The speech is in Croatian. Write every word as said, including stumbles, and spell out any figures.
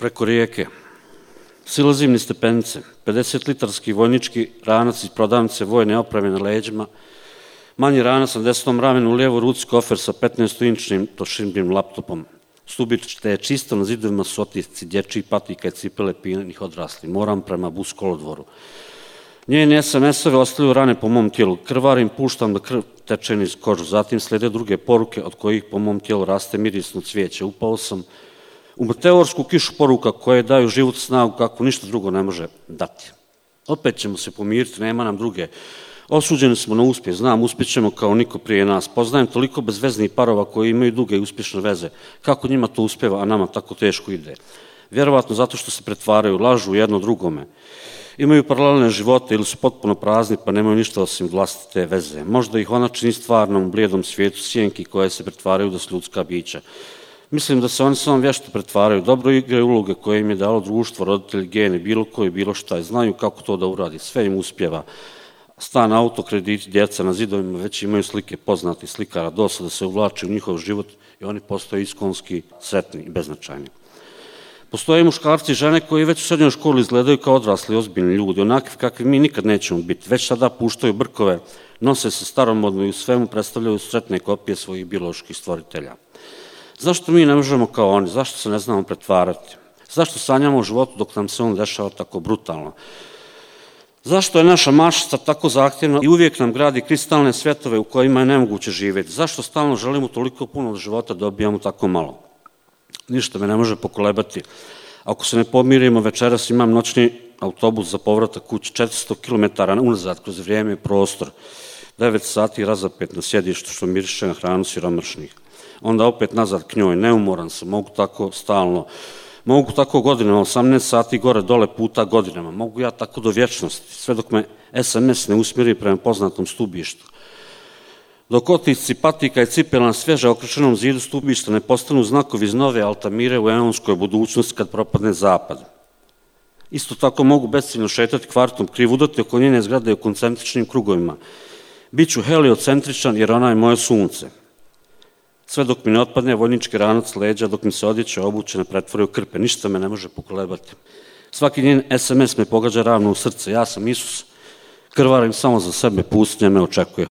preko rijeke. Silazim niz stepenice, pedesetlitarski vojnički ranac iz prodavnice vojne opreme na leđima, manji ranac na desnom ramenu, u lijevoj ruci kofer sa petnaestinčnim tošinbim laptopom. Stubište je čisto, na zidovima su otisci dječjih patika i cipele pijenih odrasli. Moram prema bus kolodvoru. Njeni es em es-ove ostaju rane po mom tijelu. Krvarim, puštam da krv teče niz kožu. Zatim slijede druge poruke od kojih po mom tijelu raste mirisno cvijeće. Upao sam u meteorsku kišu poruka koje daju život snagu kako ništa drugo ne može dati. Opet ćemo se pomiriti, nema nam druge. Osuđeni smo na uspjeh, znam, uspjećemo kao niko prije nas. Poznajem toliko bezveznih parova koji imaju duge i uspješne veze. Kako njima to uspjeva, a nama tako teško ide? Vjerovatno zato što se pretvaraju, lažu jedno drugome. Imaju paralelne živote ili su potpuno prazni pa nemaju ništa osim vlastite veze. Možda ih ona čini stvarnom, blijedom svijetu sjenki koje se pretvaraju da su ljudska bića. Mislim da se oni samo vješto pretvaraju, dobro igraju uloge koje im je dalo društvo, roditelji, geni, bilo koji, bilo šta. Znaju kako to da uradi, sve im uspjeva. Stan, auto, krediti, djeca na zidovima već imaju slike poznatih slikara, dosada se uvlači u njihov život i oni postaju iskonski, sretni i beznačajni. Postoje muškarci i žene koji već u srednjoj školi izgledaju kao odrasli, ozbiljni ljudi, onakvi kakvi mi nikad nećemo biti. Već sada puštaju brkove, nose se staromodno i u svemu predstavljaju sretne kopije svojih bioloških stvoritelja. Zašto mi ne možemo kao oni? Zašto se ne znamo pretvarati? Zašto sanjamo o životu dok nam se on dešava tako brutalno? Zašto je naša mašta tako zahtjevna i uvijek nam gradi kristalne svjetove u kojima je nemoguće živjeti? Zašto stalno želimo toliko puno od života, dobijamo tako malo? Ništa me ne može pokolebati. Ako se ne pomirimo, večeras imam noćni autobus za povratak kući, četiristo kilometara unazad kroz vrijeme i prostor, devet sati razapet na sjedištu što miriše na hranu siromašnih. Onda opet nazad k njoj, neumoran sam, mogu tako stalno, mogu tako godinama, osamnaest sati gore dole puta godinama, mogu ja tako do vječnosti, sve dok me es em es ne usmjeri prema poznatom stubištu. Dok otisci patika i cipela na svježe okrečenom zidu stubišta ne postanu znakovi iz nove Altamire u eonskoj budućnosti kad propadne zapad. Isto tako mogu besciljno šetati kvartom, krivudati oko njene zgrade u koncentričnim krugovima. Biću heliocentričan jer ona je moje sunce. Sve dok mi ne otpadne vojnički ranac leđa, dok mi se odjeća obuće ne pretvori u krpe, ništa me ne može pokolebati. Svaki njen es em es me pogađa ravno u srce. Ja sam Isus, krvarim samo za sebe, pustinja me očekuje.